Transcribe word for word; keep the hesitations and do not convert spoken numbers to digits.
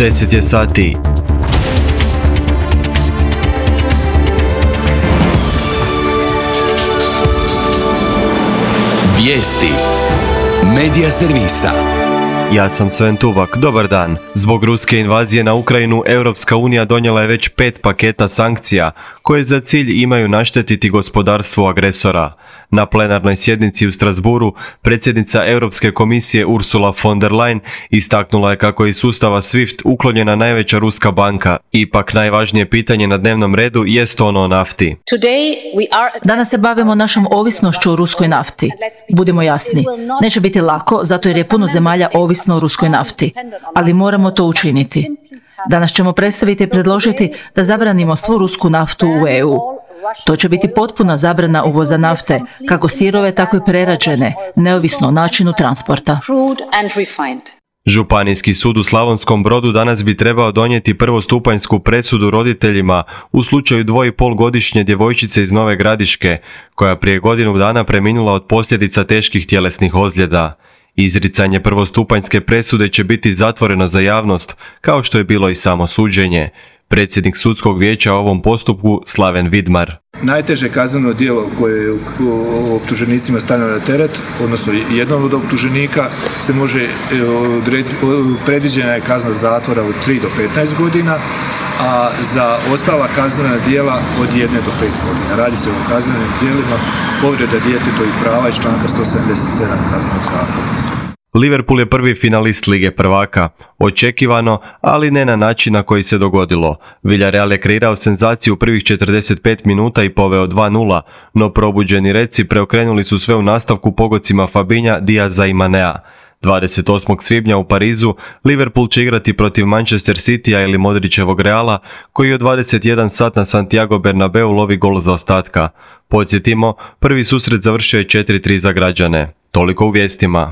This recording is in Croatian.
deset je sati. Vijesti Medija servisa. Ja sam Sven Tuvak, dobar dan. Zbog ruske invazije na Ukrajinu, Europska unija donijela je već pet paketa sankcija koje za cilj imaju naštetiti gospodarstvu agresora. Na plenarnoj sjednici u Strasbourgu predsjednica Europske komisije Ursula von der Leyen istaknula je kako je iz sustava SWIFT uklonjena najveća ruska banka. Ipak najvažnije pitanje na dnevnom redu jest ono o nafti. Danas se bavimo našom ovisnošću o ruskoj nafti. Budimo jasni, neće biti lako zato jer je puno zemalja ovisno o ruskoj nafti, ali moramo to učiniti. Danas ćemo predstaviti i predložiti da zabranimo svu rusku naftu u E U. To će biti potpuna zabrana uvoza nafte, kako sirove, tako i prerađene, neovisno o načinu transporta. Županijski sud u Slavonskom Brodu danas bi trebao donijeti prvostupanjsku presudu roditeljima u slučaju dvoipolgodišnje djevojčice iz Nove Gradiške, koja prije godinu dana preminula od posljedica teških tjelesnih ozljeda. Izricanje prvostupanjske presude će biti zatvoreno za javnost, kao što je bilo i samo suđenje. Predsjednik sudskog vijeća o ovom postupku Slaven Vidmar. Najteže kazneno djelo koje je optuženicima stavljeno na teret, odnosno jednom od optuženika, se može odrediti, predviđena je kazna zatvora od tri do petnaest godina, a za ostala kaznena djela od jedne do pet godina. Radi se o kaznenim djelima povreda djetetovih prava iz članka sto sedamdeset sedam kaznenog zakona. Liverpool je prvi finalist Lige prvaka. Očekivano, ali ne na način na koji se dogodilo. Villarreal je kreirao senzaciju u prvih četrdeset pet minuta i poveo dva nula, no probuđeni Redsi preokrenuli su sve u nastavku pogodcima Fabinha, Diaza i Manea. dvadeset osmog svibnja u Parizu Liverpool će igrati protiv Manchester Citya ili Modrićevog Reala, koji od dvadeset jedan sat na Santiago Bernabeu lovi gol zaostatka. Podsjetimo, prvi susret završio je četiri tri za građane. Toliko u vijestima.